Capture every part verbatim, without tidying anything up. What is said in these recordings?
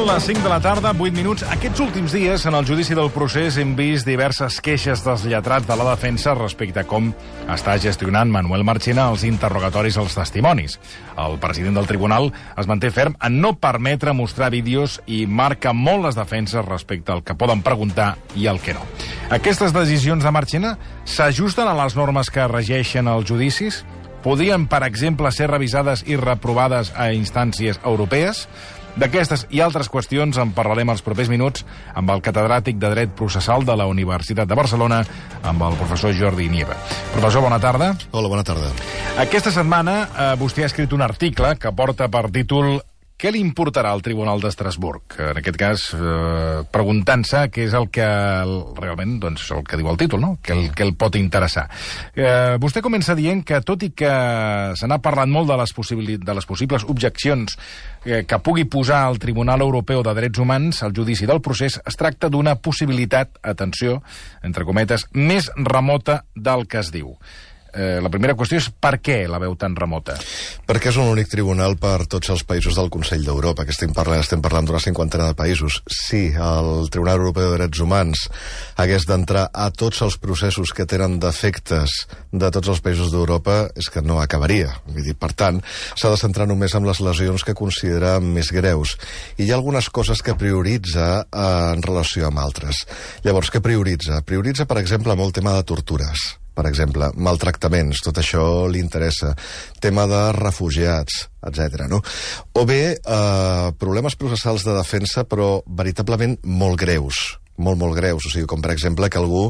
Són les cinc de la tarda, vuit minuts. Aquests últims dies, en el judici del procés, hem vist diverses queixes dels lletrats de la defensa respecte a com està gestionant Manuel Marchena els interrogatoris als testimonis. El president del tribunal es manté ferm en no permetre mostrar vídeos i marca molt les defenses respecte al que poden preguntar i al que no. Aquestes decisions de Marchena s'ajusten a les normes que regeixen els judicis? Podrien, per exemple, ser revisades i reprovades a instàncies europees? D'aquestes i altres qüestions en parlarem els propers minuts amb el catedràtic de Dret Processal de la Universitat de Barcelona, amb el professor Jordi Nieva. Professor, bona tarda. Hola, bona tarda. Aquesta setmana eh, vostè ha escrit un article que porta per títol «Què li importarà al Tribunal d'Estrasburg?». En aquest cas, eh, preguntant-se què és el que el, realment, doncs, el que diu el títol, no? Què el, què el pot interessar. Eh, vostè comença dient que, tot i que se n'ha parlat molt de les, de les possibles objeccions eh, que pugui posar el Tribunal Europeu de Drets Humans al judici del procés, es tracta d'una possibilitat, atenció, entre cometes, més remota del que es diu. Eh, la primera qüestió és per què la veu tan remota? Perquè és un únic tribunal per tots els països del Consell d'Europa, que estem parlant, estem parlant d'una cinquantena de països. Si el Tribunal Europeu de Drets Humans hagués d'entrar a tots els processos que tenen defectes de tots els països d'Europa, és que no acabaria. Vull dir, per tant, s'ha de centrar només en les lesions que considera més greus. I hi ha algunes coses que prioritza eh, en relació amb altres. Llavors, què prioritza? Prioritza, per exemple, molt tema de tortures. Per exemple, maltractaments, tot això li interessa. Tema de refugiats, etcètera. No? O bé, eh, problemes processals de defensa, però veritablement molt greus. molt, molt greus, o sigui, com per exemple que algú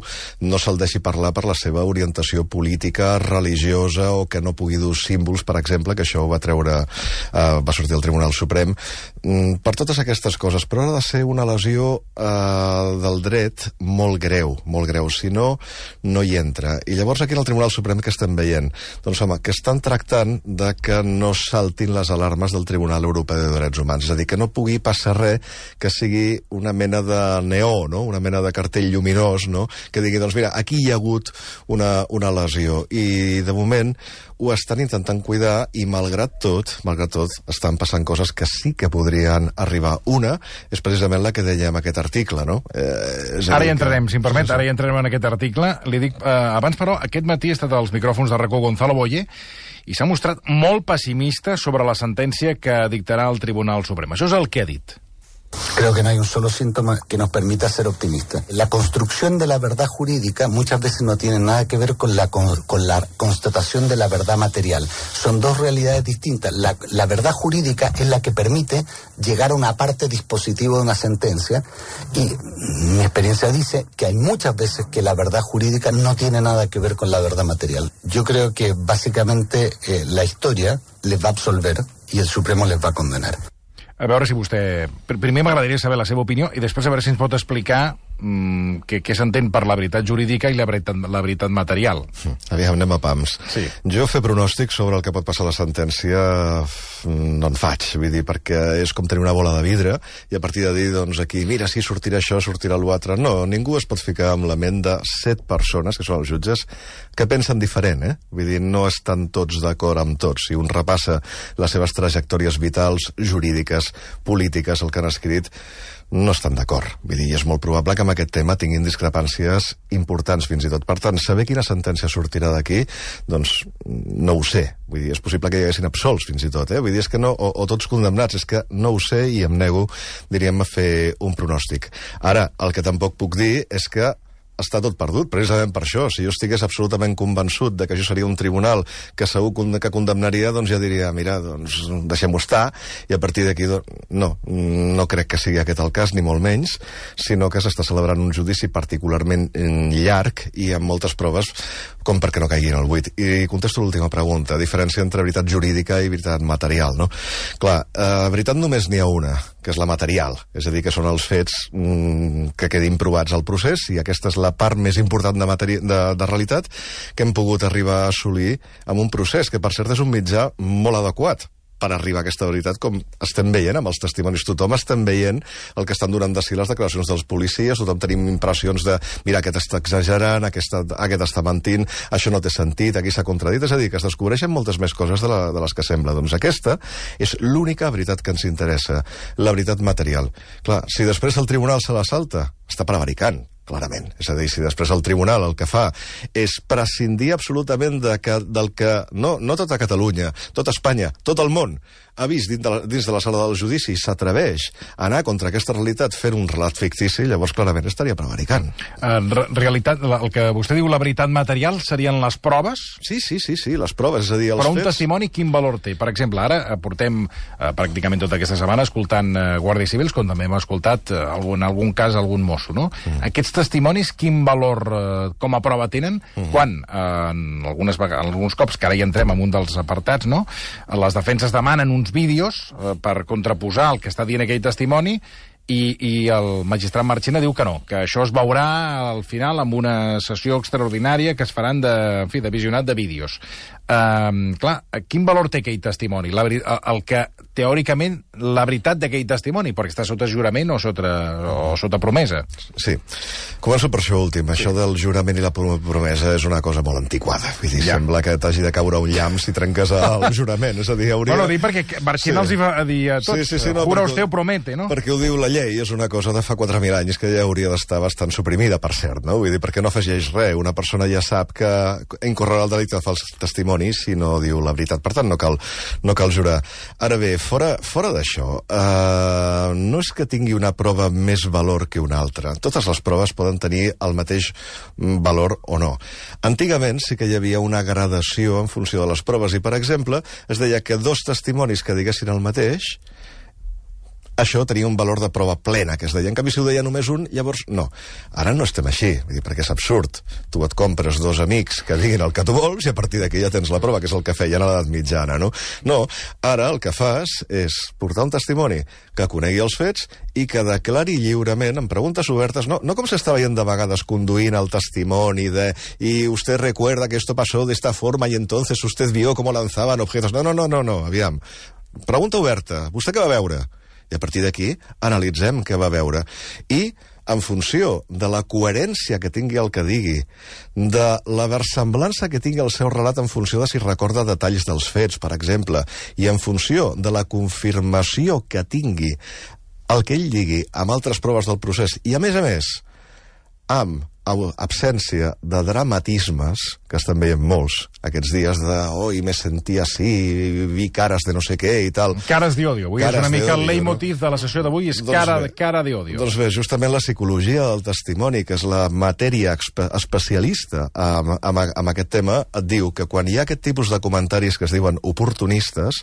no se'l deixi parlar per la seva orientació política, religiosa, o que no pugui dur símbols, per exemple, que això ho va treure, eh, va sortir al Tribunal Suprem, mm, per totes aquestes coses, però ha de ser una lesió eh, del dret molt greu, molt greu, si no, no hi entra. I llavors aquí al Tribunal Suprem que estem veient? Doncs home, que estan tractant de que no saltin les alarmes del Tribunal Europeu de Drets Humans, és a dir, que no pugui passar res que sigui una mena de neó, no? Una mena de cartell lluminós, no? Que digui, doncs mira, aquí hi ha hagut una, una lesió, i de moment ho estan intentant cuidar, i malgrat tot, malgrat tot, estan passant coses que sí que podrien arribar. Una és precisament la que dèiem aquest article, no? Eh, ara hi entrarem, que... si em permet, ara hi entrarem en aquest article. Li dic, eh, abans, però, aquest matí ha estat als micròfons de RACó Gonzalo Boye, i s'ha mostrat molt pessimista sobre la sentència que dictarà el Tribunal Suprem. Això és el que ha dit. Creo que no hay un solo síntoma que nos permita ser optimistas. La construcción de la verdad jurídica muchas veces no tiene nada que ver con la, con, con la constatación de la verdad material. Son dos realidades distintas. La, la verdad jurídica es la que permite llegar a una parte dispositiva de una sentencia, y mi experiencia dice que hay muchas veces que la verdad jurídica no tiene nada que ver con la verdad material. Yo creo que básicamente eh, la historia les va a absolver y el Supremo les va a condenar. A veure si vostè... Primer m'agradaria saber la seva opinió i després a veure si ens pot explicar mmm, què, què s'entén per la veritat jurídica i la veritat, la veritat material. Aviam, anem a pams. Sí. Jo fer pronòstic sobre el que pot passar a la sentència no en faig, vull dir, perquè és com tenir una bola de vidre i a partir de dir, doncs aquí, mira, si sortirà això, sortirà l'altre. No, ningú es pot ficar amb la ment de set persones, que són els jutges, que pensen diferent, eh? Vull dir, no estan tots d'acord amb tots. Si un repassa les seves trajectòries vitals, jurídiques, polítiques, el que han escrit, no estan d'acord. Vull dir, és molt probable que amb aquest tema tinguin discrepàncies importants fins i tot. Per tant, saber quina sentència sortirà d'aquí, doncs no ho sé. Vull dir, és possible que hi haguessin absolts fins i tot, eh? Vull dir, és que no, o, o tots condemnats, és que no ho sé i em nego, diríem, a fer un pronòstic. Ara, el que tampoc puc dir és que està tot perdut, precisament per això. Si jo estigués absolutament convençut de que això seria un tribunal que segur que condemnaria, doncs ja diria, mira, doncs deixem-ho estar, i a partir d'aquí, no, no crec que sigui aquest el cas, ni molt menys, sinó que s'està celebrant un judici particularment llarg i amb moltes proves com perquè no caigui en el buit. I contesto l'última pregunta, diferència entre veritat jurídica i veritat material, no? Clar, eh, veritat només n'hi ha una, que és la material, és a dir, que són els fets mm, que quedin provats al procés, i aquesta és la part més important de, materi de, de realitat que hem pogut arribar a assolir amb un procés que, per cert, és un mitjà molt adequat. per arribar a aquesta veritat, com estem veient amb els testimonis. Tothom estem veient el que estan donant de si les declaracions dels policies, tothom tenim impressions de, mira, aquest està exagerant, aquest, aquest està mentint, això no té sentit, aquí s'ha contradit, és a dir, que es descobreixen moltes més coses de, la, de les que sembla. Doncs aquesta és l'única veritat que ens interessa, la veritat material. Clar, si després el tribunal se la salta, està prevaricant, clarament. És a dir, si després el tribunal el que fa és prescindir absolutament de que, del que no, no tota Catalunya, tota Espanya, tot el món ha vist dins de la, dins de la sala del judici i s'atreveix a anar contra aquesta realitat fent un relat fictici, llavors clarament estaria prevaricant. En uh, realitat, el que vostè diu la veritat material serien les proves? Sí, sí, sí, sí, les proves, és a dir, els Però un fets... testimoni quin valor té? Per exemple, ara portem uh, pràcticament tota aquesta setmana escoltant uh, guàrdies civils, com també hem escoltat uh, algun, en algun cas algun mosso, no? Mm. Aquests testimonis, quin valor uh, com a prova tenen? Mm. Quan, uh, en algunes, alguns cops, que ara hi entrem en un dels apartats, no? Les defenses demanen uns vídeos eh, per contraposar el que està dient aquell testimoni i, i el magistrat Marchena diu que no, que això es veurà al final amb una sessió extraordinària que es faran de, en fi, de visionat de vídeos. Uh, clar, quin valor té aquell testimoni? La, el, el que, teòricament, la veritat d'aquell testimoni, perquè està sota jurament o sota, o sota promesa. Sí. Començo per això últim. Sí. Això del jurament i la promesa és una cosa molt antiquada. Vull dir, ja. Sembla que t'hagi de caure un llamp si trenques el jurament. És a dir, hauria... Bueno, dir perquè Marchena sí. els hi va dir a tots. Sí, sí, sí, no, jura usted o promete, no? Perquè ho diu la llei, és una cosa de fa quatre mil anys que ja hauria d'estar bastant suprimida, per cert, no? Vull dir, perquè no afegeix res. Una persona ja sap que incorrerà el delicte de fals testimoni si no diu la veritat. Per tant, no cal, no cal jurar. Ara bé, fora, fora d'això, eh, no és que tingui una prova més valor que una altra. Totes les proves poden tenir el mateix valor o no. Antigament sí que hi havia una gradació en funció de les proves i, per exemple, es deia que dos testimonis que diguessin el mateix, això tenia un valor de prova plena, que es deia. En canvi, si ho deia només un, llavors no. Ara no estem així, vull dir, perquè és absurd. Tu et compres dos amics que diguin el que tu vols i a partir d'aquí ja tens la prova, que és el que feien a l'edat mitjana, no? No, ara el que fas és portar un testimoni que conegui els fets i que declari lliurement, en preguntes obertes, no, no com s'està veient de vegades conduint el testimoni de i usted recuerda que esto pasó de esta forma y entonces usted vio cómo lanzaban objetos. No, no, no, no, no, aviam. Pregunta oberta. Vostè què va veure? I a partir d'aquí analitzem què va veure. I, en funció de la coherència que tingui el que digui, de la versemblança que tingui el seu relat en funció de si recorda detalls dels fets, per exemple, i en funció de la confirmació que tingui el que ell digui amb altres proves del procés, i a més a més, amb absència de dramatismes, que estan veient molts aquests dies de, oi, me sentí així, vi cares de no sé què i tal. Cares d'odio. Avui cares és una mica el leitmotiv no? de la sessió d'avui, és doncs cara, bé, cara d'odio. Doncs bé, justament la psicologia del testimoni, que és la matèria especialista amb, amb, amb aquest tema, et diu que quan hi ha aquest tipus de comentaris que es diuen oportunistes,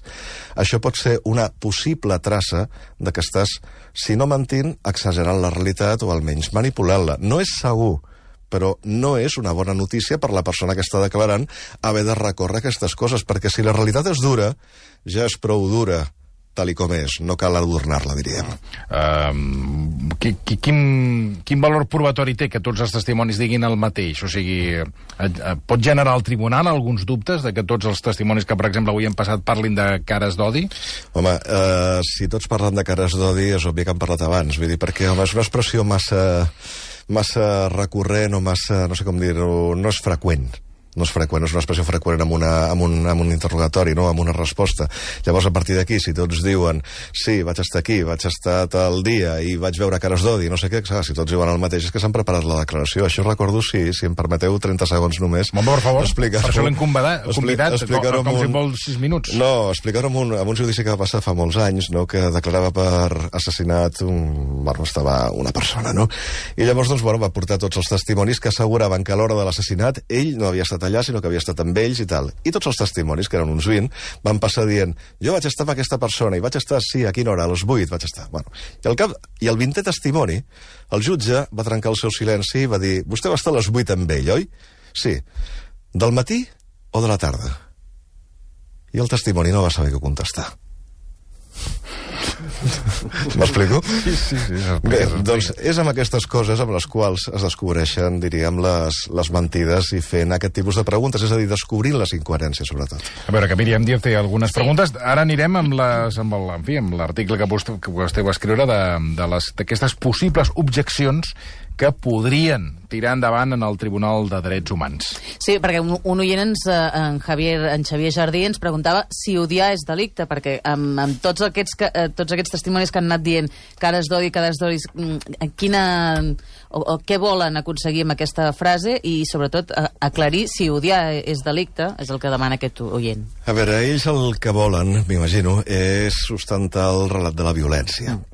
això pot ser una possible traça de que estàs, si no mentint, exagerant la realitat o almenys manipulant-la. No és segur, però no és una bona notícia per la persona que està declarant haver de recórrer aquestes coses, perquè si la realitat és dura, ja és prou dura, tal i com és, no cal adornar-la, diríem. Uh, qui, qui, quin, quin valor probatori té que tots els testimonis diguin el mateix? O sigui, uh, pot generar al tribunal alguns dubtes de que tots els testimonis que, per exemple, avui han passat parlin de cares d'odi? Home, uh, si tots parlen de cares d'odi, és obvi que han parlat abans, vull dir, perquè, home, és una expressió massa... massa recurrent o massa, no sé com dir-ho, no és freqüent. No és freqüent, és una expressió freqüent amb, una, amb, un, amb un interrogatori, no? Amb una resposta. Llavors, a partir d'aquí, si tots diuen sí, vaig estar aquí, vaig estar tal dia i vaig veure cares d'odi, no sé què, si tots diuen el mateix, és que s'han preparat la declaració. Això recordo, sí, si em permeteu trenta segons només. Bon, per favor, per això l'hem convidat, convidat com, com si vols sis minuts. No, explicar-ho amb, un, amb un judici que va passar fa molts anys, no? Que declarava per assassinat un... Bueno, estava una persona, no? I llavors, doncs, bueno, va portar tots els testimonis que asseguraven que a l'hora de l'assassinat ell no havia estat allà, sinó que havia estat amb ells i tal. I tots els testimonis, que eren uns vint, van passar dient jo vaig estar amb aquesta persona i vaig estar, sí, a quina hora? A les vuit vaig estar. Bueno, i, al cap, i el vintè testimoni, el jutge va trencar el seu silenci i va dir vostè va estar a les vuit amb ell, oi? Sí. Del matí o de la tarda? I el testimoni no va saber què contestar. M'explico? Sí, sí, sí. Bé, doncs és amb aquestes coses amb les quals es descobreixen, diríem, les, les mentides i fent aquest tipus de preguntes, és a dir, descobrint les incoherències, sobretot. A veure, que Míriam Díaz té algunes Sí. preguntes. Ara anirem amb les, amb el, en fi, amb l'article que vostè, que vostè va escriure de, de les, d'aquestes possibles objeccions que podrien tirar endavant en el Tribunal de Drets Humans. Sí, perquè un, un oient, ens, eh, en, Javier, en Xavier Jardí, ens preguntava si odiar és delicte, perquè amb, amb tots, aquests, que, eh, tots aquests testimonis que han anat dient cares d'odi, cares d'odi, mm, quina, o, o què volen aconseguir amb aquesta frase i, sobretot, a, aclarir si odiar és delicte, és el que demana aquest oient. A veure, ells el que volen, m'imagino, és sustentar el relat de la violència. Mm.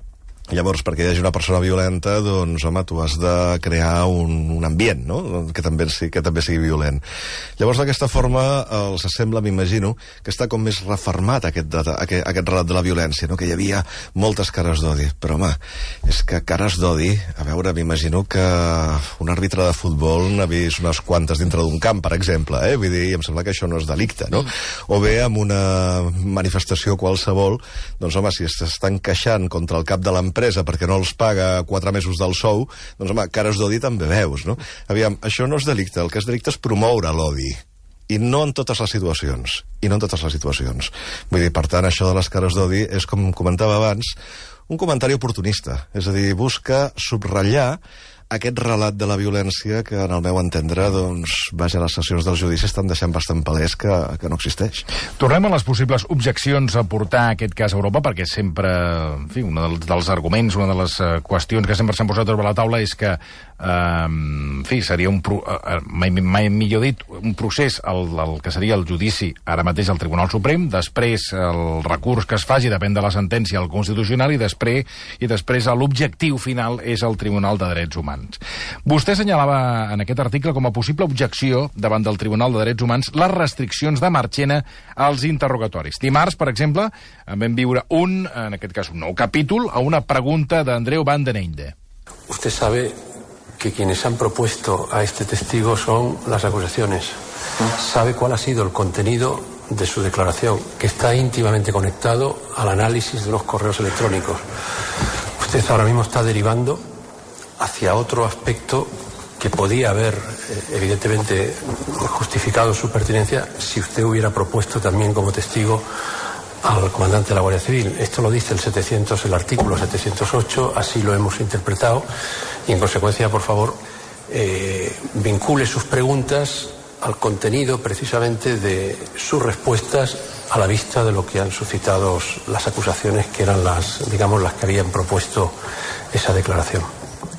Llavors, perquè hi hagi una persona violenta, doncs, home, tu has de crear un, un ambient, no?, que també, que també sigui violent. Llavors, d'aquesta forma, els sembla, m'imagino, que està com més refermat aquest, aquest, aquest relat de la violència, no?, que hi havia moltes cares d'odi. Però, home, és que cares d'odi, a veure, m'imagino que un àrbitre de futbol n'ha vist unes quantes dintre d'un camp, per exemple, eh? Vull dir, em sembla que això no és delicte, no? O bé, amb una manifestació qualsevol, doncs, home, si s'estan queixant contra el cap de l'empresa perquè no els paga quatre mesos del sou, doncs, home, cares d'odi també veus, no? Aviam, això no és delicte, el que és delicte és promoure l'odi. I no en totes les situacions. I no en totes les situacions. Vull dir, per tant, això de les cares d'odi és, com comentava abans, un comentari oportunista. És a dir, busca subratllar aquest relat de la violència que, en el meu entendre, doncs, vaja, les sessions del judici estan deixant bastant palès que, que no existeix. Tornem a les possibles objeccions a portar aquest cas a Europa, perquè sempre, en fi, un dels, dels arguments, una de les uh, qüestions que sempre s'han posat sobre la taula és que, uh, en fi, seria un, pro, uh, mai, mai millor dit, un procés, el, el que seria el judici ara mateix al Tribunal Suprem, després el recurs que es faci depèn de la sentència al Constitucional i després, i després l'objectiu final és el Tribunal de Drets Humans. Vostè assenyalava en aquest article com a possible objecció davant del Tribunal de Drets Humans les restriccions de Marchena als interrogatoris. Dimarts, per exemple, en vam viure un, en aquest cas un nou capítol, a una pregunta d'Andreu Van den Einde. Usted sabe que quienes han propuesto a este testigo son las acusaciones. Sabe cuál ha sido el contenido de su declaración, que está íntimamente conectado al análisis de unos correos electrónicos. Usted ahora mismo está derivando hacia otro aspecto que podía haber, eh, evidentemente, justificado su pertinencia si usted hubiera propuesto también como testigo al comandante de la Guardia Civil. Esto lo dice el setecientos, el artículo setecientos ocho, así lo hemos interpretado, y en consecuencia, por favor, eh, vincule sus preguntas al contenido precisamente de sus respuestas a la vista de lo que han suscitado las acusaciones, que eran las, digamos, las que habían propuesto esa declaración.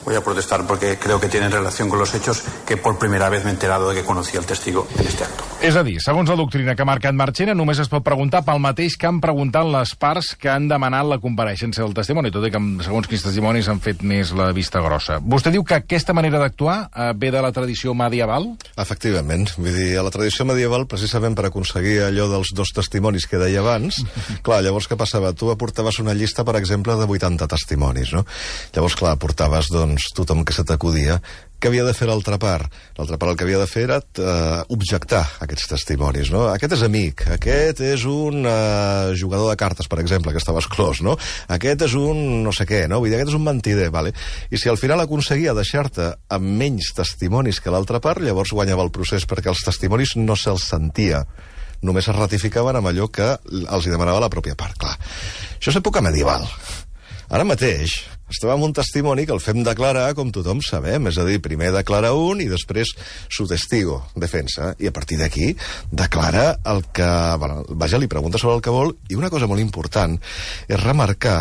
Voy a protestar porque creo que tiene relación con los hechos que por primera vez me he enterado de que conocía el testigo en este acto. És a dir, segons la doctrina que ha marcat Marchena, només es pot preguntar pel mateix que han preguntat les parts que han demanat la compareixença del testimoni, tot i que segons quins testimonis han fet més la vista grossa. Vostè diu que aquesta manera d'actuar eh, ve de la tradició medieval? Efectivament. Vull dir, a la tradició medieval, precisament per aconseguir allò dels dos testimonis que deia abans, clar, llavors què passava? Tu aportaves una llista, per exemple, de vuitanta testimonis, no? Llavors, clar, aportaves, doncs, tothom que se t'acudia. Què havia de fer l'altra part? L'altra part el que havia de fer era eh, objectar aquests testimonis, no? Aquest és amic, aquest és un eh, jugador de cartes, per exemple, que estava exclòs, no? Aquest és un no sé què, no? Vull dir, aquest és un mentider, vale? I si al final aconseguia deixar-te amb menys testimonis que l'altra part, llavors guanyava el procés, perquè els testimonis no se'ls sentia. Només es ratificaven amb allò que els hi demanava la pròpia part, clar. Això és època medieval. Ara mateix estem amb un testimoni que el fem declarar com tothom sabem, és a dir, primer declara un i després su testigo, defensa, i a partir d'aquí declara el que... Bueno, vaja, li pregunta sobre el que vol, i una cosa molt important és remarcar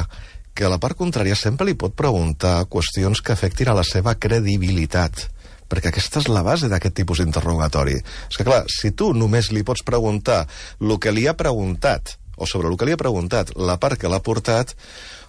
que a la part contrària sempre li pot preguntar qüestions que afectin a la seva credibilitat, perquè aquesta és la base d'aquest tipus d'interrogatori. És que, clar, si tu només li pots preguntar el que li ha preguntat, o sobre el que li ha preguntat la part que l'ha portat,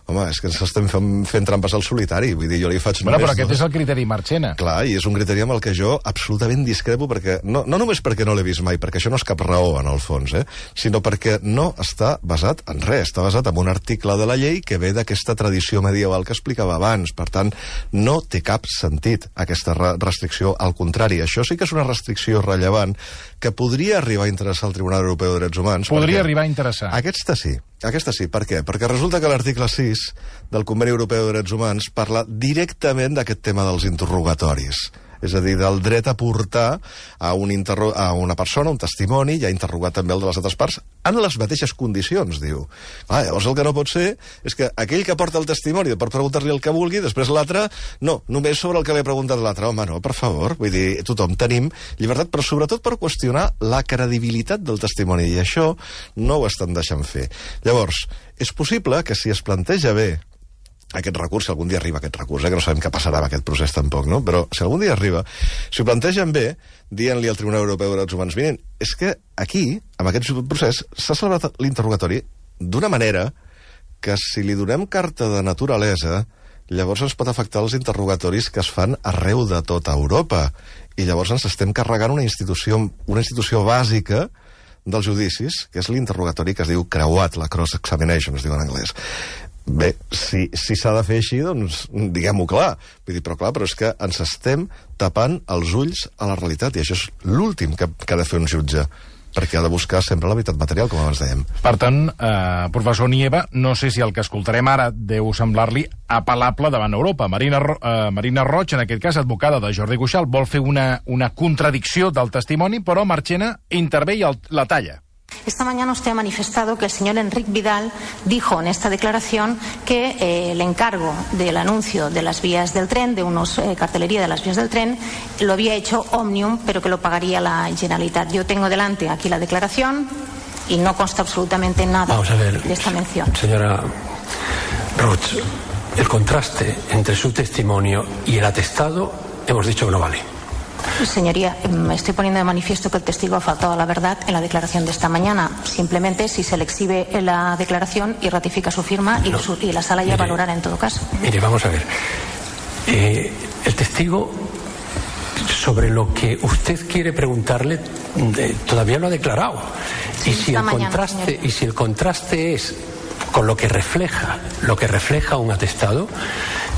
home, és que ens estem fent, fent trampes al solitari. Vull dir, jo li faig bueno, només... Però aquest no? és el criteri Marchena. Clar, i és un criteri amb el que jo absolutament discrepo, perquè no, no només perquè no l'he vist mai, perquè això no és cap raó, en el fons, eh? Sinó perquè no està basat en res, està basat en un article de la llei que ve d'aquesta tradició medieval que explicava abans. Per tant, no té cap sentit aquesta restricció. Al contrari, això sí que és una restricció rellevant que podria arribar a interessar al Tribunal Europeu de Drets Humans. Podria arribar a interessar. Aquesta sí. Aquesta sí, per què? Perquè resulta que l'article sis del Conveni Europeu de Drets Humans parla directament d'aquest tema dels interrogatoris. És a dir, del dret a portar a, un interro a una persona, un testimoni, i a interrogar també el de les altres parts, en les mateixes condicions, diu. Ah, llavors el que no pot ser és que aquell que porta el testimoni pot preguntar-li el que vulgui, després l'altre, no, només sobre el que li ha preguntat l'altre. Home, no, per favor, vull dir, tothom tenim llibertat, però sobretot per qüestionar la credibilitat del testimoni, i això no ho estan deixant fer. Llavors, és possible que si es planteja bé aquest recurs, si algun dia arriba aquest recurs, eh, que no sabem què passarà amb aquest procés tampoc, no? Però si algun dia arriba, si ho plantegen bé, dient-li al Tribunal Europeu de Drets Humans, miren, és que aquí, amb aquest procés, s'ha celebrat l'interrogatori d'una manera que si li donem carta de naturalesa, llavors ens pot afectar els interrogatoris que es fan arreu de tota Europa. I llavors ens estem carregant una institució, una institució bàsica dels judicis, que és l'interrogatori que es diu creuat, la cross-examination, es diu en anglès. Bé, si si s'ha de fer així, doncs diguem-ho clar. Vull dir, però clar, però és que ens estem tapant els ulls a la realitat, i això és l'últim que, que ha de fer un jutge, perquè ha de buscar sempre la veritat material, com abans dèiem. Per tant, eh, professor Nieva, no sé si el que escoltarem ara deu semblar-li apel·lable davant Europa. Marina, eh, Marina Roig, en aquest cas advocada de Jordi Cuixart, vol fer una, una contradicció del testimoni, però Marchena intervé i el, la talla. Esta mañana usted ha manifestado que el señor Enrique Vidal dijo en esta declaración que eh, el encargo del anuncio de las vías del tren, de unos eh, cartelería de las vías del tren, lo había hecho Omnium, pero que lo pagaría la Generalitat. Yo tengo delante aquí la declaración y no consta absolutamente nada Vamos a ver, de esta mención. Señora Roig, el contraste entre su testimonio y el atestado hemos dicho que no vale. Señoría, me estoy poniendo de manifiesto que el testigo ha faltado a la verdad en la declaración de esta mañana. Simplemente, si se le exhibe la declaración y ratifica su firma, y, no, su, y la sala ya mire, valorará en todo caso. Mire, vamos a ver. Eh, el testigo, sobre lo que usted quiere preguntarle, eh, todavía no ha declarado. Sí, y, si el mañana, contraste, y si el contraste es con lo que refleja, lo que refleja un atestado,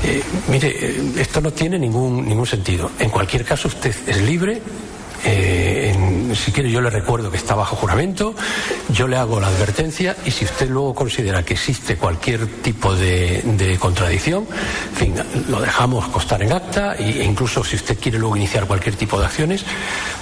eh, mire, eh, esto no tiene ningún, ningún sentido. En cualquier caso, usted es libre. Eh, en, si quiere, yo le recuerdo que está bajo juramento, yo le hago la advertencia, y si usted luego considera que existe cualquier tipo de, de contradicción, en fin, lo dejamos constar en acta, e incluso si usted quiere luego iniciar cualquier tipo de acciones,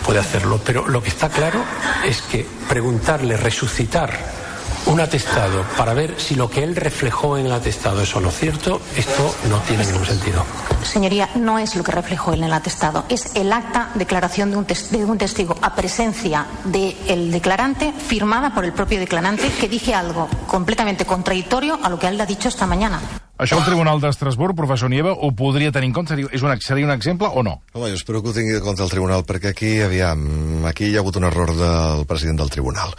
puede hacerlo. Pero lo que está claro es que preguntarle, resucitar un atestado para ver si lo que él reflejó en el atestado es o no cierto, esto no tiene ningún sentido. Señoría, no es lo que reflejó él en el atestado, es el acta declaración de un, tes de un testigo a presencia del declarante, firmada por el propio declarante, que dice algo completamente contradictorio a lo que él ha dicho esta mañana. Això el Tribunal d'Estrasburg, professor Nieva, ho podria tenir en compte? És un, seria un exemple o no? Home, jo espero que ho tingui en compte el Tribunal, perquè aquí, aviam, aquí hi ha hagut un error del president del Tribunal.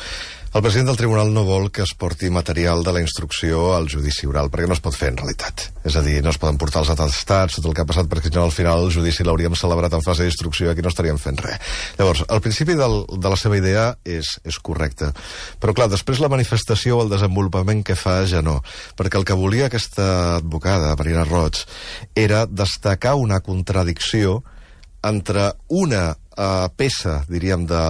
El president del Tribunal no vol que es porti material de la instrucció al judici oral, perquè no es pot fer en realitat. És a dir, no es poden portar els atestats, tot el que ha passat, perquè al final el judici l'hauríem celebrat en fase d'instrucció i aquí no estaríem fent res. Llavors, el principi del, de la seva idea és, és correcte. Però clar, després la manifestació o el desenvolupament que fa ja no. Perquè el que volia aquesta advocada, Marina Roig, era destacar una contradicció entre una uh, peça, diríem, de,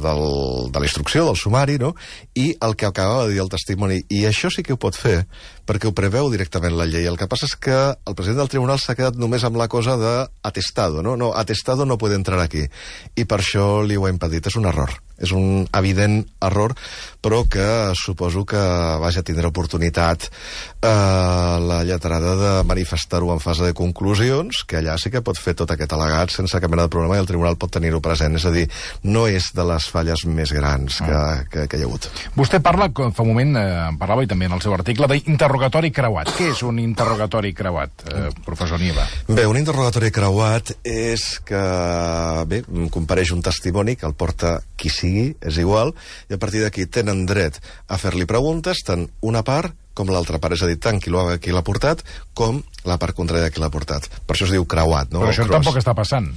del, de la instrucció, del sumari, no?, i el que acabava de dir el testimoni. I això sí que ho pot fer, perquè ho preveu directament la llei. El que passa és que el president del tribunal s'ha quedat només amb la cosa de atestado, no? No, atestado no puede entrar aquí. I per això li ho ha impedit. És un error. És un evident error, però que suposo que, vaja, tindrà oportunitat eh, la lletrada de manifestar-ho en fase de conclusions, que allà sí que pot fer tot aquest al·legat sense cap mena de problema i el tribunal pot tenir-ho present. És a dir, no és de les falles més grans que, que, que hi ha hagut. Vostè parla, fa un moment, eh, parlava i també en el seu article, d'interrogatori creuat. Què és un interrogatori creuat, eh, professor Nieva? Bé, un interrogatori creuat és que, bé, compareix un testimoni que el porta qui sigui, és igual, i a partir d'aquí tenen dret a fer-li preguntes, tant una part com l'altra part, és a dir, tant qui l'ha portat com la part contrària de qui l'ha portat. Per això es diu creuat, no? Però això tampoc està passant.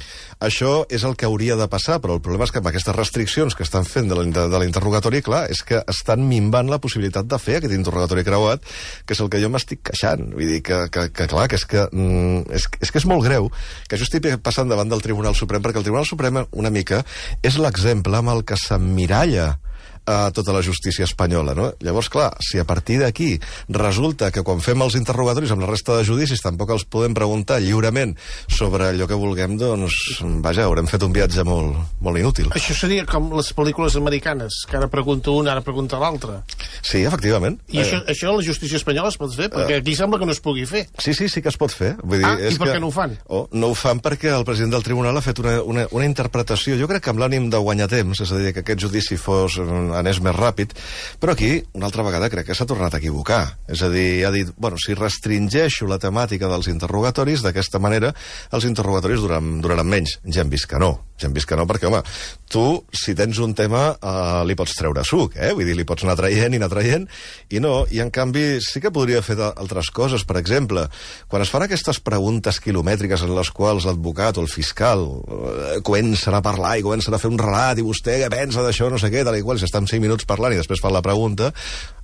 Això és el que hauria de passar, però el problema és que amb aquestes restriccions que estan fent de l'interrogatori, clar, és que estan minvant la possibilitat de fer aquest interrogatori creuat, que és el que jo m'estic queixant. Vull dir que, que, que clar, que és que, mm, és, és que és molt greu que això estigui passant davant del Tribunal Suprem, perquè el Tribunal Suprem una mica és l'exemple amb el que s'emmiralla a tota la justícia espanyola, no? Llavors, clar, si a partir d'aquí resulta que quan fem els interrogatoris amb la resta de judicis tampoc els podem preguntar lliurement sobre allò que vulguem, doncs, vaja, haurem fet un viatge molt, molt inútil. Això seria com les pel·lícules americanes, que ara pregunta un, ara pregunta l'altre. Sí, efectivament. I això, eh... això a la justícia espanyola es pot fer? Perquè aquí sembla que no es pugui fer. Sí, sí, sí que es pot fer. Vull dir, ah, és i per que... què no ho fan? Oh, no ho fan perquè el president del tribunal ha fet una, una, una interpretació, jo crec que amb l'ànim de guanyar temps, és a dir, que aquest judici fos, anés més ràpid, però aquí, una altra vegada, crec que s'ha tornat a equivocar. És a dir, ha dit, bueno, si restringeixo la temàtica dels interrogatoris, d'aquesta manera, els interrogatoris duraran, duraran menys. Ja hem vist que no. Ja hem vist que no, perquè, home, tu, si tens un tema, eh, li pots treure suc, eh? Vull dir, li pots anar traient i anar traient, i no, i en canvi sí que podria fer altres coses. Per exemple, quan es fan aquestes preguntes quilomètriques en les quals l'advocat o el fiscal eh, comencen a parlar i comencen a fer un relat, i vostè què pensa d'això, no sé què, tal i qual, si estan cinc minuts parlant i després fan la pregunta,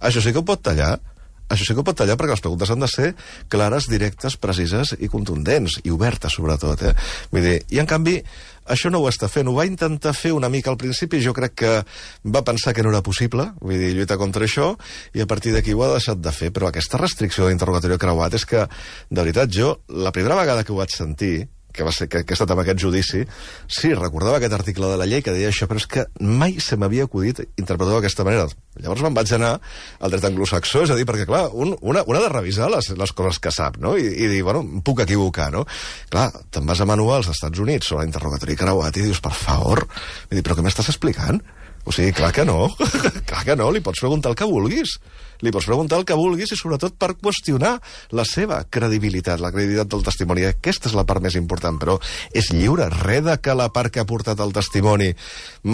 això sí que ho pot tallar. Això sí que ho pot tallar perquè les preguntes han de ser clares, directes, precises i contundents, i obertes, sobretot, eh? Vull dir, i en canvi, això no ho està fent. Ho va intentar fer una mica al principi, jo crec que va pensar que no era possible, vull dir, lluitar contra això, i a partir d'aquí ho ha deixat de fer. Però aquesta restricció d'interrogatori creuat és que, de veritat, jo, la primera vegada que ho vaig sentir, que, va ser, que, que ha estat amb aquest judici, sí, recordava aquest article de la llei que deia això, però és que mai se m'havia acudit interpretar d'aquesta manera. Llavors me'n vaig anar al dret anglosaxó, és a dir, perquè, clar, un, una, un ha de revisar les, les coses que sap, no? I, i dir, bueno, em puc equivocar, no? Clar, te'n vas a manuals als Estats Units sobre l'interrogatori creuat i dius, per favor, vull dir, però què m'estàs explicant? O sigui, clar que no, clar que no, li pots preguntar el que vulguis. Li pots preguntar el que vulguis i sobretot per qüestionar la seva credibilitat, la credibilitat del testimoni. Aquesta és la part més important, però és lliure, res de que la part que ha portat el testimoni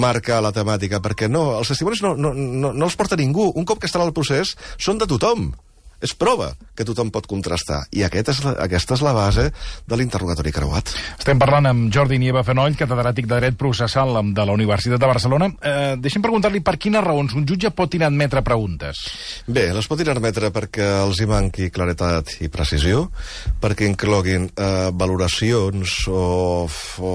marca la temàtica, perquè no, els testimonis no, no, no, no els porta ningú. Un cop que estan al procés, són de tothom. És prova que tothom pot contrastar. I aquest és la, aquesta és la base de l'interrogatori creuat. Estem parlant amb Jordi Nieva Fenoll, catedràtic de Dret Processal de la Universitat de Barcelona. Eh, deixem preguntar-li per quines raons un jutge pot inadmetre preguntes. Bé, les pot inadmetre perquè els hi manqui claretat i precisió, perquè incloguin eh, valoracions o, o,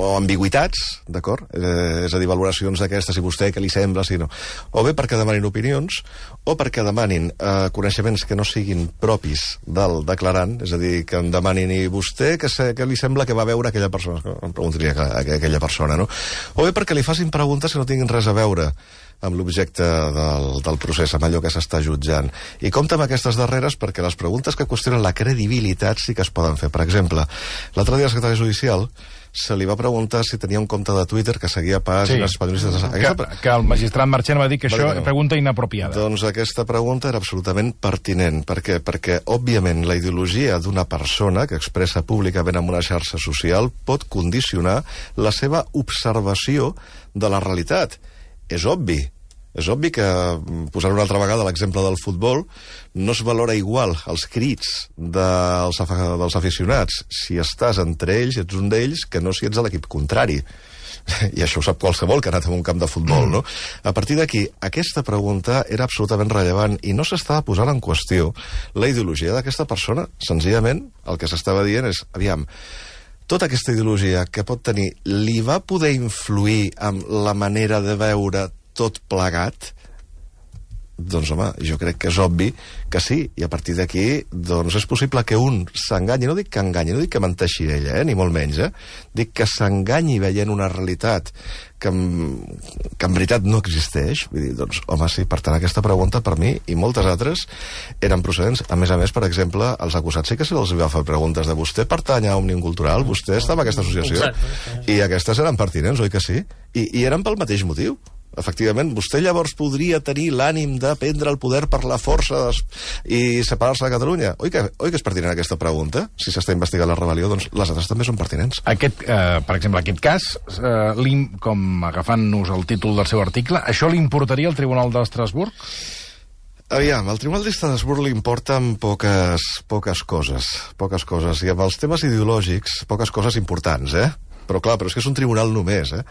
o ambigüitats, d'acord? Eh, és a dir, valoracions d'aquestes, si vostè què li sembla, si no. O bé perquè demanin opinions, o perquè demanin eh, coneixements que no siguin propis del declarant, és a dir, que em demanin i vostè que, se, que li sembla que va veure aquella persona, em preguntaria a, a aquella persona, no? O bé perquè li facin preguntes que no tinguin res a veure amb l'objecte del, del procés, amb allò que s'està jutjant. I compta amb aquestes darreres perquè les preguntes que qüestionen la credibilitat sí que es poden fer. Per exemple, l'altre dia el secretari judicial se li va preguntar si tenia un compte de Twitter que seguia pàgines sí. espanyolistes. Que, que el magistrat Marchena va dir que això és no. pregunta inapropiada. Doncs aquesta pregunta era absolutament pertinent. Per què? Perquè, òbviament, la ideologia d'una persona que expressa públicament en una xarxa social pot condicionar la seva observació de la realitat. És obvi. És obvi que, posant una altra vegada l'exemple del futbol, no es valora igual els crits dels, dels aficionats si estàs entre ells, ets un d'ells, que no si ets a l'equip contrari. I això ho sap qualsevol que ha anat a un camp de futbol, no? A partir d'aquí, aquesta pregunta era absolutament rellevant i no s'estava posant en qüestió la ideologia d'aquesta persona. Senzillament, el que s'estava dient és, aviam, tota aquesta ideologia que pot tenir li va poder influir amb la manera de veure tot plegat? Doncs, home, jo crec que és obvi que sí, i a partir d'aquí doncs és possible que un s'enganyi, no dic que enganyi, no dic que menteixi ella, eh, ni molt menys, eh? Dic que s'enganyi veient una realitat que en, que en veritat no existeix. Vull dir, doncs, home, sí, per tant, aquesta pregunta per mi i moltes altres eren procedents. A més a més, per exemple, els acusats sí que se'ls va fer preguntes de vostè pertany a Òmnium Cultural, vostè està en aquesta associació, exacte, i aquestes eren pertinents, oi que sí? I, i eren pel mateix motiu. Efectivament, vostè llavors podria tenir l'ànim de prendre el poder per la força des... i separar-se de Catalunya. Oi que, oi que és pertinent aquesta pregunta? Si s'està investigant la rebel·lió, doncs les altres també són pertinents. Aquest, eh, per exemple, aquest cas, eh, com agafant-nos el títol del seu article, això li importaria al Tribunal d'Estrasburg? Aviam, al Tribunal d'Estrasburg li importen poques, poques coses, poques coses, i amb els temes ideològics, poques coses importants, eh? Però clar, però és que és un tribunal només, eh?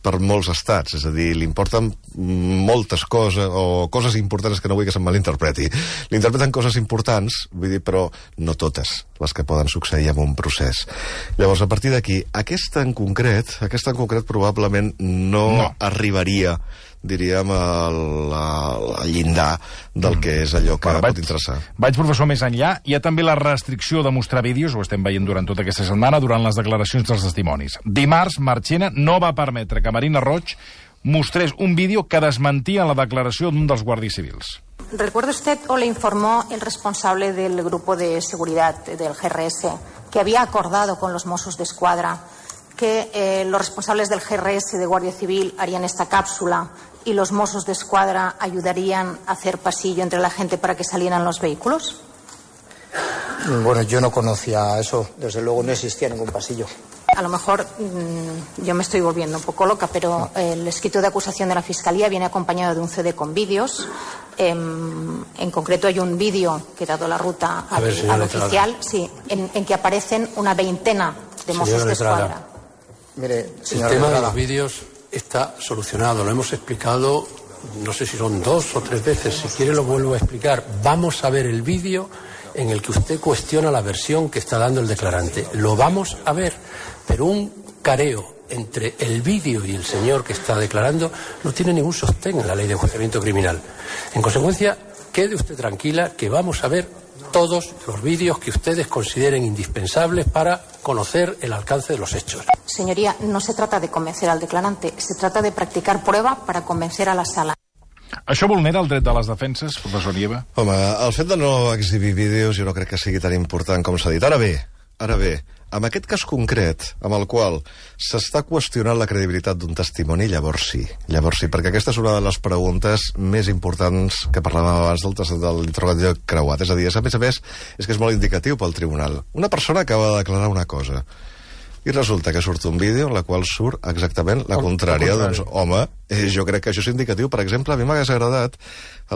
Per molts estats, és a dir, li importen moltes coses, o coses importants que no vull que se'm malinterpreti. Li interpreten coses importants, vull dir, però no totes les que poden succeir en un procés. Llavors, a partir d'aquí, aquesta en concret, aquesta en concret probablement no, no. arribaria diríem, el, el llindar del que és allò que bueno, pot vaig, interessar. Vaig, professor, més enllà. Hi ha també la restricció de mostrar vídeos, ho estem veient durant tota aquesta setmana, durant les declaracions dels testimonis. Dimarts, Marchena no va permetre que Marina Roig mostrés un vídeo que desmentia la declaració d'un dels guàrdies civils. ¿Recuerda usted o le informó el responsable del grupo de seguridad del G R S que había acordado con los Mossos de Escuadra que eh, los responsables del G R S de Guardia Civil harían esta cápsula y los Mossos de Escuadra ayudarían a hacer pasillo entre la gente para que salieran los vehículos? Bueno, yo no conocía eso. Desde luego no existía ningún pasillo. A lo mejor mmm, yo me estoy volviendo un poco loca, pero eh, el escrito de acusación de la Fiscalía viene acompañado de un C D con vídeos. Eh, en concreto hay un vídeo que, dado la ruta al, ver, al oficial, sí, en, en que aparecen una veintena de Mossos de Escuadra. Mire, el tema de los vídeos está solucionado, lo hemos explicado, no sé si son dos o tres veces, si quiere lo vuelvo a explicar. Vamos a ver el vídeo en el que usted cuestiona la versión que está dando el declarante. Lo vamos a ver, pero un careo entre el vídeo y el señor que está declarando no tiene ningún sostén en la ley de enjuiciamiento criminal. En consecuencia, quede usted tranquila que vamos a ver todos los vídeos que ustedes consideren indispensables para conocer el alcance de los hechos. Señoría, no se trata de convencer al declarante, se trata de practicar prueba para convencer a la sala. Això vulnera el dret de les defenses, professor Nieva? Home, el fet de no exhibir vídeos jo no crec que sigui tan important com s'ha dit. Ara bé, ara bé, en aquest cas concret, amb el qual s'està qüestionant la credibilitat d'un testimoni, llavors sí. Llavors sí, perquè aquesta és una de les preguntes més importants que parlàvem abans del, del interrogatori creuat. És a dir, a més a més, és que és molt indicatiu pel tribunal. Una persona acaba de declarar una cosa i resulta que surt un vídeo en la qual surt exactament la contrària. Doncs, home, eh, jo crec que això és indicatiu. Per exemple, a mi m'hagués agradat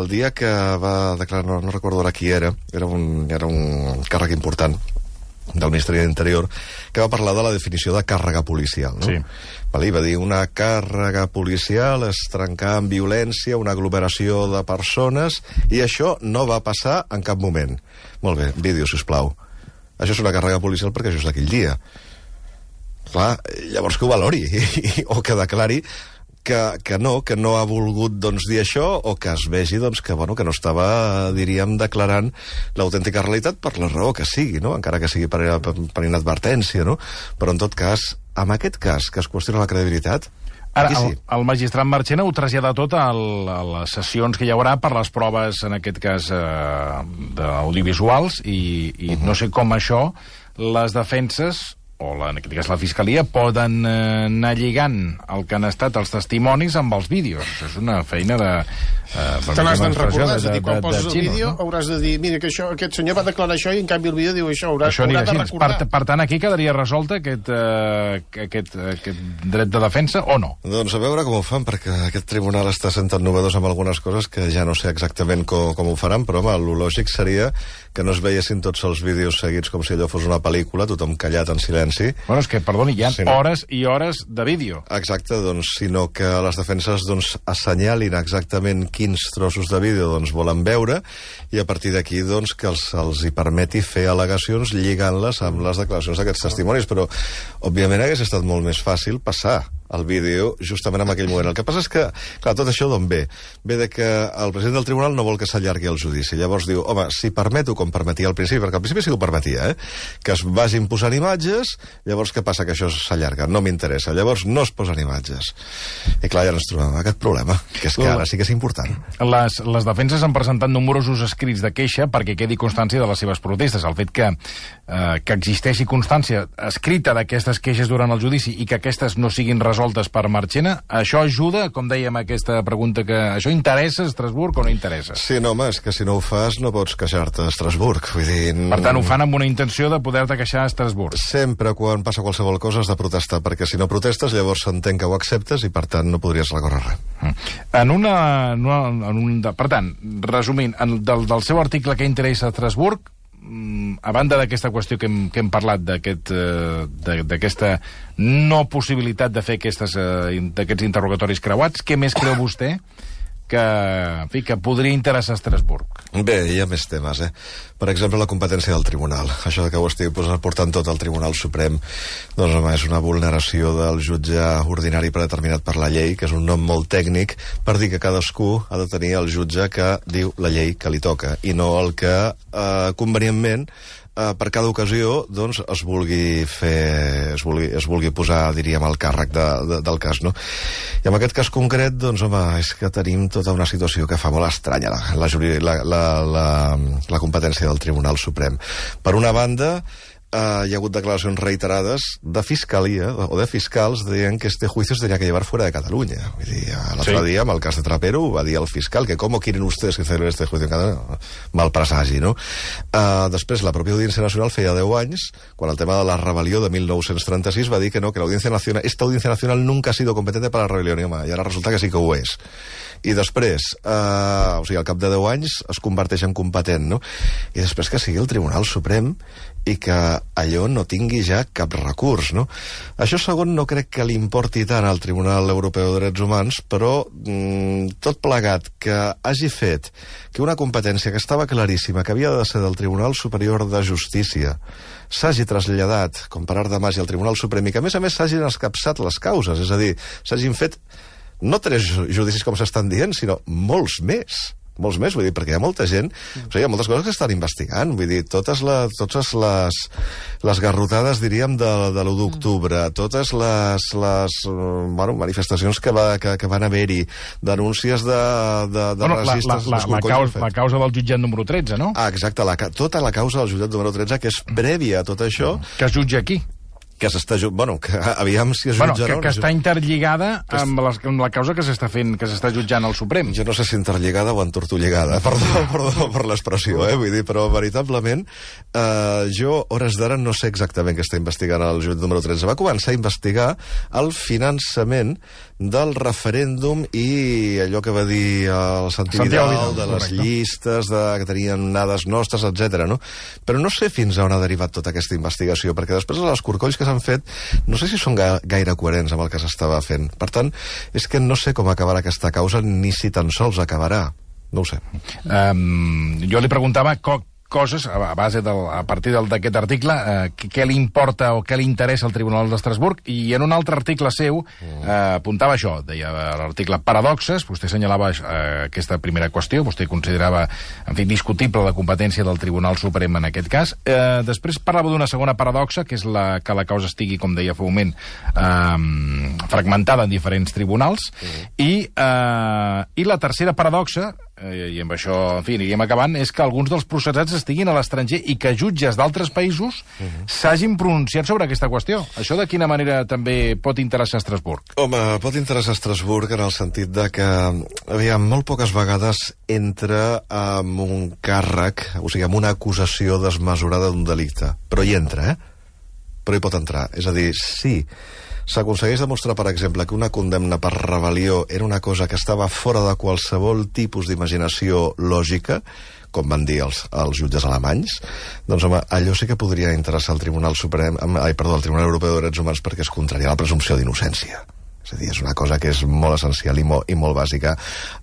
el dia que va declarar, no, no recordo ara qui era, era un, era un càrrec important del Ministeri de l'Interior, que va parlar de la definició de càrrega policial, no? Sí. Vale, va dir, una càrrega policial és trencar en violència una aglomeració de persones i això no va passar en cap moment. Molt bé, vídeo, sisplau. Això és una càrrega policial perquè això és d'aquell dia. Clar, llavors que ho valori o que declari que, que no, que no ha volgut doncs, dir això, o que es vegi doncs, que, bueno, que no estava, diríem, declarant l'autèntica realitat per la raó que sigui, no? Encara que sigui per, per, per inadvertència, no? Però en tot cas, en aquest cas que es qüestiona la credibilitat, ara, sí. el, el magistrat Marchena ho trasllada tot a, el, a les sessions que hi haurà per les proves, en aquest cas, eh, d'audiovisuals, i, i uh-huh. no sé com això, les defenses o la, en aquest cas la Fiscalia, poden eh, anar lligant el que han estat els testimonis amb els vídeos. Això és una feina de... Eh, Te n'has de recordar, és a dir, quan de, de, poses de el xinos, vídeo no? hauràs de dir, mira, que això, aquest senyor va declarar això i en canvi el vídeo diu això, haurà, això haurà de així. recordar. Per, per tant, aquí quedaria resolt aquest, eh, aquest, aquest dret de defensa o no? Doncs a veure com ho fan, perquè aquest tribunal està sent tan novedós amb algunes coses que ja no sé exactament com, com ho faran, però home, el lògic seria que no es veiessin tots els vídeos seguits com si allò fos una pel·lícula, tothom callat en silenci. Bueno, és que, perdoni, hi ha sí, no? hores i hores de vídeo. Exacte, doncs, sinó que les defenses doncs, assenyalin exactament quins trossos de vídeo doncs, volen veure i a partir d'aquí doncs, que els, els hi permeti fer al·legacions lligant-les amb les declaracions d'aquests testimonis, però òbviament hagués estat molt més fàcil passar el vídeo justament en aquell moment. El que passa és que, clar, tot això d'on ve? Ve de que el president del tribunal no vol que s'allargui el judici. Llavors diu, home, si permeto, com permetia al principi, perquè al principi sí que ho permetia, eh? que es vagin posant imatges, llavors què passa? Que això s'allarga, no m'interessa. Llavors no es posen imatges. I clar, ja ens trobem amb aquest problema, que és que ara sí que és important. Les, les defenses han presentat nombrosos escrits de queixa perquè quedi constància de les seves protestes. El fet que, eh, que existeixi constància escrita d'aquestes queixes durant el judici i que aquestes no siguin resoltes per Marchena, això ajuda, com dèiem, aquesta pregunta, que això interessa a Estrasburg o no interessa? Sí, no, home, és que si no ho fas no pots queixar-te a Estrasburg. Vull dir... Per tant, ho fan amb una intenció de poder-te queixar a Estrasburg. Sempre quan passa qualsevol cosa has de protestar, perquè si no protestes llavors s'entén que ho acceptes i per tant no podries recórrer res. En una... En un, per tant, resumint, en, del, del seu article que interessa a Estrasburg, a banda d'aquesta qüestió que hem, que hem parlat d'aquesta no possibilitat de fer aquests interrogatoris creuats, què més creu vostè que, en fi, que podria interessar a Estrasburg. Bé, hi ha més temes, eh? Per exemple, la competència del tribunal. Això que ho estic portant tot al Tribunal Suprem, doncs, home, és una vulneració del jutge ordinari predeterminat per la llei, que és un nom molt tècnic, per dir que cadascú ha de tenir el jutge que diu la llei que li toca, i no el que, eh, convenientment, Uh, per cada ocasió, doncs, es vulgui fer, es vulgui, es vulgui posar, diríem, el càrrec de, de, del cas, no? I en aquest cas concret, doncs, home, és que tenim tota una situació que fa molt estranya la, la, la, la, la, la competència del Tribunal Suprem. Per una banda, Uh, hi ha hagut declaracions reiterades de fiscalia o de fiscals dient que este juicio se tenía que llevar fuera de Cataluña. Vull dir, l'altre sí. dia, amb el cas de Trapero, va dir el fiscal que com quieren ustedes que celebren este juicio en Cataluña? Mal presagi, no? Uh, després, la pròpia Audiència Nacional feia deu anys, quan el tema de la rebel·lió de mil nou-cents trenta-sis va dir que no, que l'Audiencia Nacional, esta Audiencia Nacional nunca ha sido competente para la rebelión, i, home, i ara resulta que sí que ho és. I després, uh, o sigui, al cap de deu anys es converteix en competent, no? I després que sigui el Tribunal Suprem i que allò no tingui ja cap recurs, no? Això segon no crec que li importi tant al Tribunal Europeu de Drets Humans, però mmm, tot plegat que hagi fet que una competència que estava claríssima, que havia de ser del Tribunal Superior de Justícia, s'hagi traslladat, com per art de màgia, al Tribunal Suprem, i que a més a més s'hagin escapçat les causes, és a dir, s'hagin fet no tres judicis com s'estan dient, sinó molts més. Molts més, vull dir, perquè hi ha molta gent, o sigui, hi ha moltes coses que estan investigant, vull dir, totes, la, totes les, les garrotades, diríem, de, de l'u d'octubre, totes les, les bueno, manifestacions que, va, que, que van haver-hi, denúncies de, de, de bueno, racistes... La, la, la, la, causa, la causa del jutjat número tretze, no? Ah, exacte, la, tota la causa del jutjat número tretze, que és prèvia a tot això... Que es jutja aquí. Que s'està... Bueno, que aviam si es bueno, jutjarà... Que, que està interlligada amb la, amb la causa que s'està fent, que s'està jutjant al Suprem. Jo no sé si interlligada o entortolligada, perdó, perdó per l'expressió, eh? Vull dir, però veritablement eh, jo, hores d'ara, no sé exactament què està investigant el jutjat número tretze. Va començar a investigar el finançament del referèndum i allò que va dir el Santi Vidal, Vidal de les correcte. Llistes de, que tenien dades nostres, etcètera. No? Però no sé fins a on ha derivat tota aquesta investigació, perquè després els corcolls que s'han fet, no sé si són ga gaire coherents amb el que s'estava fent. Per tant, és que no sé com acabarà aquesta causa, ni si tan sols acabarà. No ho sé. Um, jo li preguntava coses, a base del, a partir d'aquest article, eh, què li importa o què li interessa al Tribunal d'Estrasburg, i en un altre article seu eh, apuntava això, deia l'article paradoxes, vostè assenyalava eh, aquesta primera qüestió, vostè considerava, en fi, discutible la competència del Tribunal Suprem en aquest cas. Eh, després parlava d'una segona paradoxa, que és la que la causa estigui, com deia fa un moment, eh, fragmentada en diferents tribunals, mm. i, eh, i la tercera paradoxa, i amb això, en fi, aniríem acabant, és que alguns dels processats estiguin a l'estranger i que jutges d'altres països uh-huh. s'hagin pronunciat sobre aquesta qüestió. Això de quina manera també pot interessar a Estrasburg? Home, pot interessar a Estrasburg en el sentit de que, aviam, molt poques vegades entra amb un càrrec, o sigui, amb una acusació desmesurada d'un delicte. Però hi entra, eh? Però hi pot entrar. És a dir, sí, s'aconsegueix demostrar, per exemple, que una condemna per rebel·lió era una cosa que estava fora de qualsevol tipus d'imaginació lògica, com van dir els, els jutges alemanys, doncs, home, allò sí que podria interessar al Tribunal Suprem, ai, perdó, al Tribunal Europeu de Drets Humans, perquè es contraria la presumpció d'innocència. És a dir, és una cosa que és molt essencial i molt, i molt bàsica.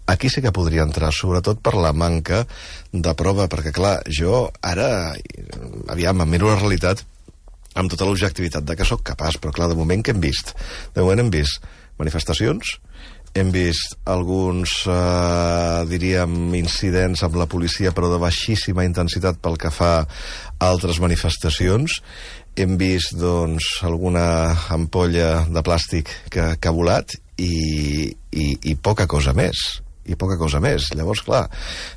Aquí sí que podria entrar, sobretot per la manca de prova, perquè, clar, jo ara, aviam, em miro la realitat amb tota l'objectivitat de que sóc capaç, però clar, de moment que hem vist? De moment hem vist manifestacions, hem vist alguns, eh, diríem, incidents amb la policia, però de baixíssima intensitat pel que fa a altres manifestacions, hem vist, doncs, alguna ampolla de plàstic que, que ha volat i, i, i poca cosa més. i poca cosa més. Llavors, clar,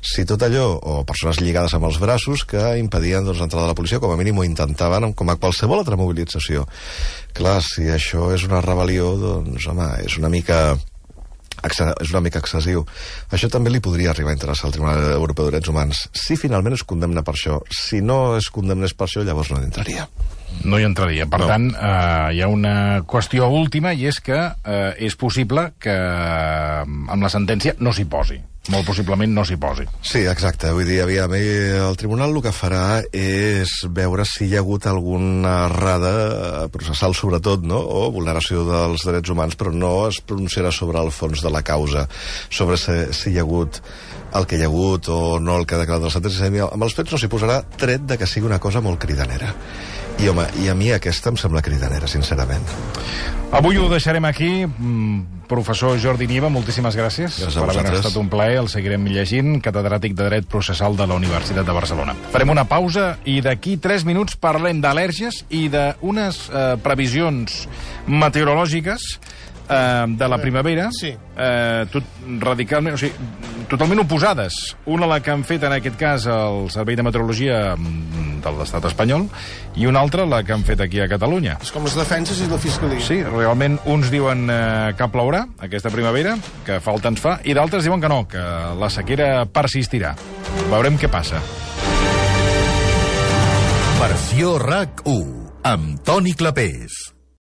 si tot allò, o persones lligades amb els braços que impedien, doncs, l'entrada de la policia, com a mínim ho intentaven, com a qualsevol altra mobilització. Clar, si això és una rebel·lió, doncs, home, és una mica... és una mica excessiu. Això també li podria arribar a interessar al Tribunal Europeu de Drets Humans. Si finalment es condemna per això. Si no es condemnés per això, llavors no hi entraria. No hi entraria. Per no. tant, eh, hi ha una qüestió última, i és que eh, és possible que amb la sentència no s'hi posi. molt possiblement no s'hi posi. Sí, exacte. Vull dir, aviam, el tribunal el que farà és veure si hi ha hagut alguna errada processal, sobretot, no? O vulneració dels drets humans, però no es pronunciarà sobre el fons de la causa, sobre si, si hi ha hagut el que hi ha hagut o no el que ha declarat els altres. Amb els fets no s'hi posarà, tret de que sigui una cosa molt cridanera. I, home, i a mi aquesta em sembla cridanera, sincerament. Avui ho deixarem aquí. Professor Jordi Nieva, moltíssimes gràcies, gràcies per haver estat un plaer. El seguirem llegint, catedràtic de Dret Processal de la Universitat de Barcelona. Farem una pausa i d'aquí tres minuts parlem d'al·lèrgies i d'unes eh, previsions meteorològiques eh, de la primavera, sí. eh, tot, radicalment, o sigui, totalment oposades. Una la que han fet, en aquest cas, el Servei de Meteorologia de l'estat espanyol, i una altra la que han fet aquí a Catalunya. És com les defenses i la fiscalia. Sí, realment uns diuen eh, que plourà aquesta primavera, que falta ens fa, i d'altres diuen que no, que la sequera persistirà. Veurem què passa. Versió RAC u, amb Toni Clapés.